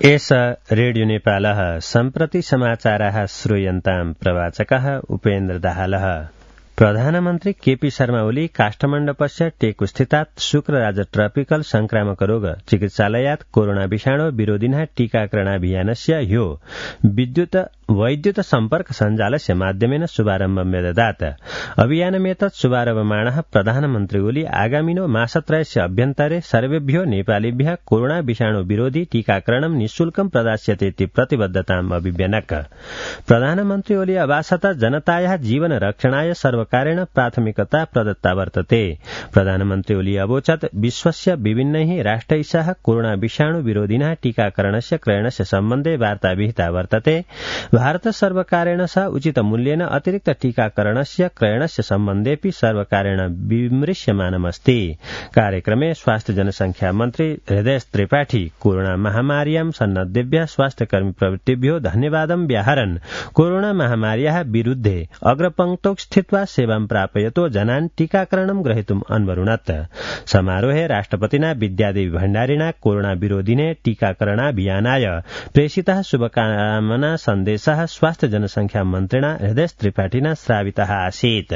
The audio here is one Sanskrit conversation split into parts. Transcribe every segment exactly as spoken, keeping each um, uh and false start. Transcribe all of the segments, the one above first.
एष रेडियो नेपालः सम्प्रति समाचाराः श्रूयन्ताम् प्रवाचकः उपेन्द्र दाहालः। प्रधानमन्त्री केपी शर्मा ओली काष्ठमण्डपस्य टेकुस्थितात् शुक्रराज ट्रपिकल संक्रामक रोग चिकित्सालयात् कोरोना विषाणु विरोधिनः टीकाकरणाभियानस्य ह्यो विद्युत वैद्युत सम्पर्क सञ्जालस्य माध्यमेन शुभारम्भं व्यददात्। अभियानमेतत् शुभारम्भमाणः प्रधानमन्त्री ओली आगामिनो मासत्रयस्य अभ्यन्तरे सर्वेभ्यो नेपालीभ्यः कोरोना विषाणु विरोधि टीकाकरणं निःशुल्कं प्रदास्यतेति प्रतिबद्धताम् अभिव्यनक्। प्रधानमन्त्री ओली अभाषत जनतायाः जीवन रक्षणाय सर्वकारेण प्राथमिकता प्रदत्ता वर्तते। प्रधानमन्त्री ओली अवोचत् विश्वस्य विभिन्नैः राष्ट्रैः सह कोरोना विषाणु विरोधिनः टीकाकरणस्य क्रयणस्य सम्बन्धे वार्ता विहिता वर्तते। भारत सर्वकारेण सह उचित मूल्येन अतिरिक्त टीकाकरणस्य क्रयणस्य सम्बन्धेऽपि सर्वकारेण विमृश्यमानमस्ति। कार्यक्रमे स्वास्थ्य जनसंख्या मन्त्री हृदय त्रिपाठी कोरोना महामार्यां सन्नद्धेभ्यः स्वास्थ्यकर्मी प्रवृत्तिभ्यो धन्यवादं व्याहरन् कोरोना महामार्याः विरुद्धे अग्रपङ्क्तौ स्थित्वा सेवां प्रापयतो जनान् टीकाकरणं ग्रहीतुम् अन्वरुणत्। समारोहे राष्ट्रपतिना विद्यादेवी भण्डारिणा कोरोना विरोधिने टीकाकरणाभियानाय प्रेषितः शुभकामना सन्देशः स्वास्थ्य जनसंख्या मन्त्रिणा हृदय त्रिपाठिना श्रावितः आसीत्।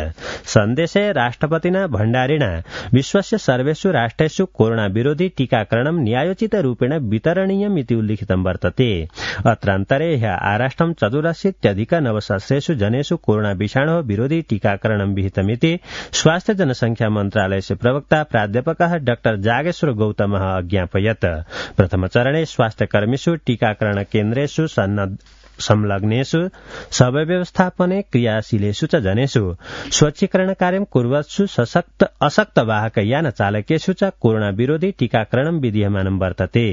सन्देशे राष्ट्रपतिना भण्डारिणा विश्वस्य सर्वेषु राष्ट्रेषु कोरोना विरोधि टीकाकरणं न्यायोचित रूपेण वितरणीयम् इति उल्लिखितं वर्तते। अत्रान्तरे ह्यः आराष्ट्रं चतुरशीत्यधिक नवसहस्रेषु जनेषु कोरोना विषाणोः विरोधि टीकाकरणं विहितमिति स्वास्थ्य जनसंख्या मन्त्रालयस्य प्रवक्ता प्राध्यापकः डाक्टर जागेश्वर गौतमः अज्ञापयत्। प्रथमचरणे स्वास्थ्यकर्मीषु टीकाकरण केन्द्रेषु सन्नद्ध संलग्नेषु सबव्यवस्थापने क्रियाशीलेषु च जनेषु स्वच्छीकरण कार्यं कुर्वत्सु सशक्त अशक्त वाहक यान चालकेषु च कोरोना विरोधि टीकाकरणं विधीयमानं वर्तते।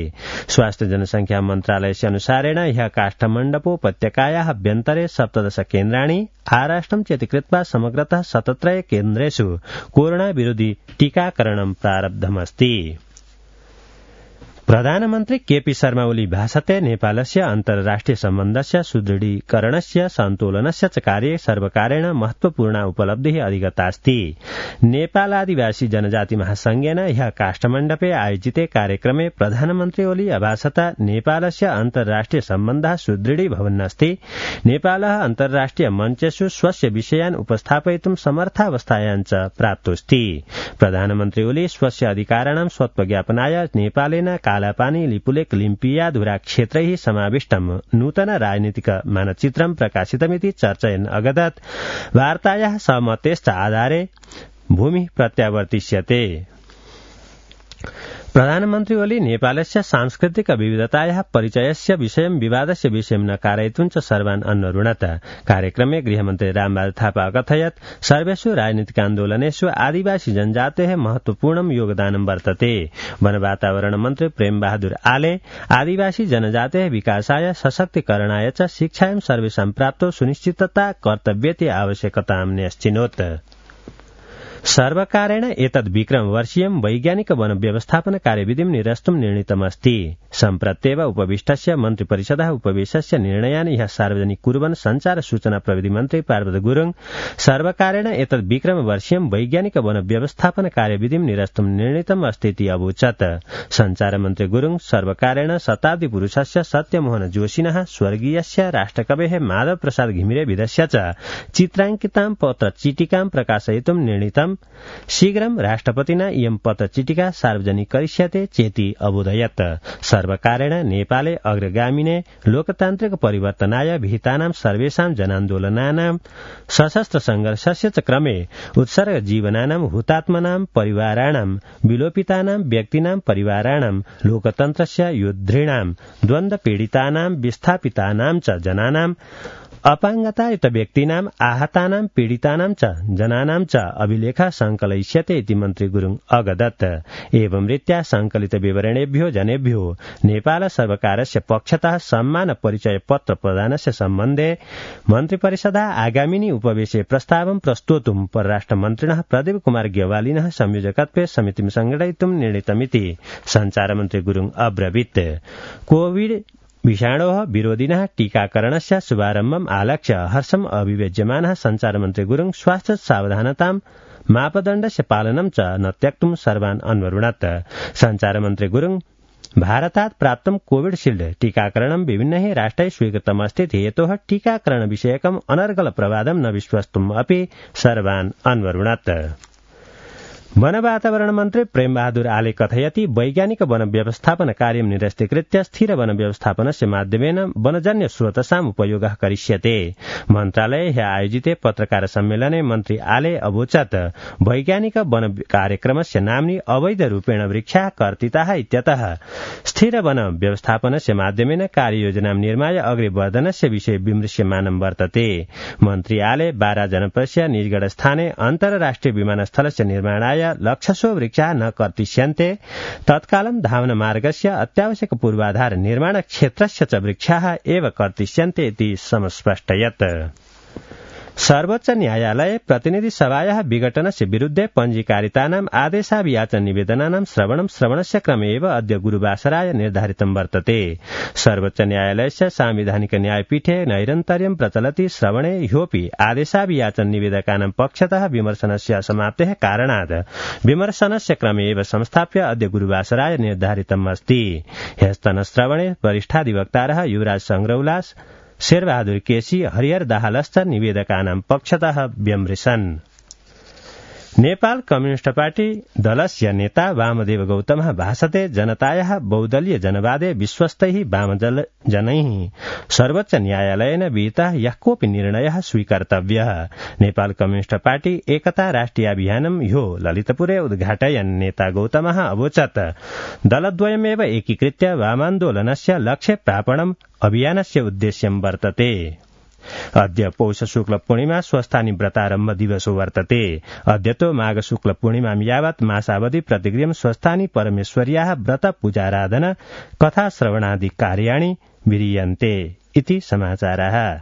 स्वास्थ्य जनसंख्या मन्त्रालयस्य अनुसारेण ह्यः काष्ठमण्डपोपत्यकायाः अभ्यन्तरे सप्तदश केन्द्राणि आराष्ट्रं चेतिकृत्वा समग्रतः शतत्रय केन्द्रेषु कोरोना विरोधि टीकाकरणं प्रारब्धमस्ति। प्रधानमन्त्री केपी शर्मा ओली भाषते नेपालस्य अन्तर्राष्ट्रिय सम्बन्धस्य सुदृढीकरणस्य सन्तुलनस्य च कार्ये सर्वकारेण महत्वपूर्णा उपलब्धिः अधिगतास्ति। नेपाल आदिवासी जनजाति महासंघेन ह्यः काष्ठमण्डपे आयोजिते कार्यक्रमे प्रधानमन्त्री ओली अभाषत नेपालस्य अन्तर्राष्ट्रिय सम्बन्धः सुदृढीभवन्नस्ति। नेपालः अन्तर्राष्ट्रिय मञ्चेषु स्वस्य विषयान् उपस्थापयितुं समर्थावस्थायां च प्राप्तोऽस्ति। प्रधानमन्त्री ओली स्वस्य अधिकाराणां स्वत्वज्ञापनाय नेपालेन कालापानी लिपुलेक लिम्पियाधुरा क्षेत्रैः समाविष्टं नूतन राजनीतिक मानचित्रं प्रकाशितमिति चर्चयन् अगदत्। वार्तायाः सहमतेश्च आधारे भूमिः प्रत्यावर्तिष्यते। प्रधानमन्त्री ओली नेपालस्य सांस्कृतिक विविधतायाः परिचयस्य विषयं विवादस्य विषयं न कारयितुं च सर्वान् अन्वरुणत। कार्यक्रमे गृहमन्त्री रामबहादुर थापा अकथयत् सर्वेषु राजनीतिक आन्दोलनेषु आदिवासी जनजातेः महत्वपूर्णं योगदानं वर्तते। वन वातावरण मन्त्री प्रेम बहादुर आले आदिवासी जनजातेः विकासाय सशक्तिकरणाय च शिक्षायां सर्वेषां प्राप्तौ सुनिश्चितता कर्तव्येति आवश्यकतां न्यश्चिनोत्। सर्वकारेण एतद् विक्रमवर्षीयं वैज्ञानिक वन व्यवस्थापन कार्यविधिं निरस्तुं निर्णीतमस्ति। सम्प्रत्येव उपविष्टस्य मन्त्रिपरिषदः उपवेशस्य निर्णयान् ह्यः सार्वजनिक कुर्वन् संचार सूचना प्रविधि मन्त्री पार्वत गुरुङ सर्वकारेण एतद् विक्रमवर्षीयं वैज्ञानिक वन व्यवस्थापन कार्यविधिं निरस्तुं निर्णीतम् अस्तीति अवोचत्। संचार मन्त्री गुरुङ सर्वकारेण शताब्दी पुरुषस्य सत्यमोहन जोशिनः स्वर्गीयस्य राष्ट्रकवेः माधव प्रसाद घिमिरेविधस्य च चित्राङ्कितां पत्रचिटिकां प्रकाशयितुं निर्णीतम्। शीघ्रं राष्ट्रपतिना इयं पत्रचिटिका सार्वजनिकरिष्यते चेति अबोधयत्। सर्वकारेण नेपाले अग्रगामिने लोकतान्त्रिक परिवर्तनाय विहितानां सर्वेषां जनान्दोलनानां सशस्त्र संघर्षस्य च क्रमे उत्सर्ग जीवनानां हुतात्मनां परिवाराणां विलोपितानां व्यक्तीनां परिवाराणां लोकतन्त्रस्य योद्धॄणां द्वन्द्व पीडितानां विस्थापितानां च जनानां अपाङ्गतायुत व्यक्तीनां आहतानां पीडितानां च जनानां च अभिलेखः संकलयिष्यते इति मन्त्री गुरुङ अगदत्। एवं रीत्या संकलित विवरणेभ्यो जनेभ्यो नेपाल सर्वकारस्य पक्षतः सम्मान परिचय पत्र प्रदानस्य सम्बन्धे मन्त्रिपरिषदः आगामिनि उपवेशे प्रस्तावं प्रस्तोतुं परराष्ट्र मन्त्रिणः प्रदीप कुमार ग्यवालिनः संयोजकत्वे समितिं संगठयितुं निर्णीतमिति संचार मन्त्री गुरुङ अब्रवीत्। कोविड विषाणोः विरोधिनः टीकाकरणस्य शुभारम्भम् आलक्ष्य हर्षम् अभिव्यज्यमानः संचारमन्त्री गुरुङ स्वास्थ्य सावधानतां मापदण्डस्य पालनं च न त्यक्तुं सर्वान् अन्वरुणत्। संचारमन्त्री गुरुङ भारतात् प्राप्तं कोविडशील्ड टीकाकरणं विभिन्नैः राष्ट्रैः स्वीकृतमस्ति हेतोः टीकाकरण विषयकम् अनर्गल प्रवादं न विश्वस्तुम् अपि सर्वान् अन्वरुणत्। वन वातावरण मन्त्री प्रेमबहादुर आले कथयति वैज्ञानिक वन व्यवस्थापन कार्यं निरस्तीकृत्य स्थिर वन व्यवस्थापनस्य माध्यमेन वनजन्य स्रोतसाम् उपयोगः करिष्यते। मन्त्रालये ह्य आयोजिते पत्रकार सम्मेलने मन्त्री आले अवोचत् वैज्ञानिक वन कार्यक्रमस्य नाम्नि अवैध रूपेण वृक्षाः कर्तिताः इत्यतः स्थिर वन व्यवस्थापनस्य माध्यमेन कार्ययोजनां निर्माय अग्रे वर्धनस्य विषये विमृश्यमानं वर्तते। मन्त्री आले बारा जनपदस्य निजगढस्थाने अन्तर्राष्ट्रिय विमानस्थलस्य निर्माणाय लक्षशो वृक्षाः न कर्तिष्यन्ते तत्कालं धावनमार्गस्य अत्यावश्यक पूर्वाधार निर्माण क्षेत्रस्य च वृक्षाः एव कर्तिष्यन्ते इति समस्पष्टयत्। सर्वोच्च न्यायालय प्रतिनिधि सभायाः विघटनस्य विरुद्धे पञ्जीकारितानाम् आदेशाभियाचन निवेदनानां श्रवणं श्रवणस्य क्रमे एव अद्य गुरुवासराय निर्धारितं वर्तते। सर्वोच्च न्यायालयस्य सांविधानिक न्यायपीठे नैरन्तर्यं प्रचलति श्रवणे ह्योऽपि आदेशाभियाचन निवेदकानां पक्षतः विमर्शनस्य समाप्तेः कारणात् विमर्शनस्य क्रमे एव संस्थाप्य अद्य गुरुवासराय निर्धारितम् अस्ति। ह्यस्तनश्रवणे वरिष्ठाधिवक्तारः युवराज संग्रौलास शेरबहादुर केसी हरिहर दाहालश्च निवेदकानां पक्षतः व्यमृशन्। नेपाल कम्युनिस्ट पार्टी दलस्य नेता वामदेव गौतमः भाषते जनतायाः बहुदलीय जनवादे विश्वस्तैः वामजनैः सर्वोच्च न्यायालयेन विहितः यः कोऽपि निर्णयः स्वीकर्तव्यः। नेपाल कम्युनिस्ट पार्टी एकता राष्ट्रिय अभियानं ह्यो ललितपुरे उद्घाटयन् नेता गौतमः अवोचत् दलद्वयमेव एकीकृत्य वामान्दोलनस्य लक्ष्ये प्रापणम् अभियानस्य उद्देश्यं वर्तते। अद्य पौष शुक्ल पूर्णिमा स्वस्थानि व्रतारम्भ दिवसो वर्तते। अद्यतो माघ शुक्ल पूर्णिमां यावत् मासावधि प्रतिगृहं स्वस्थानि परमेश्वर्याः व्रत पूजाराधना कथा श्रवणादि कार्याणि विरीयन्ते इति समाचारः।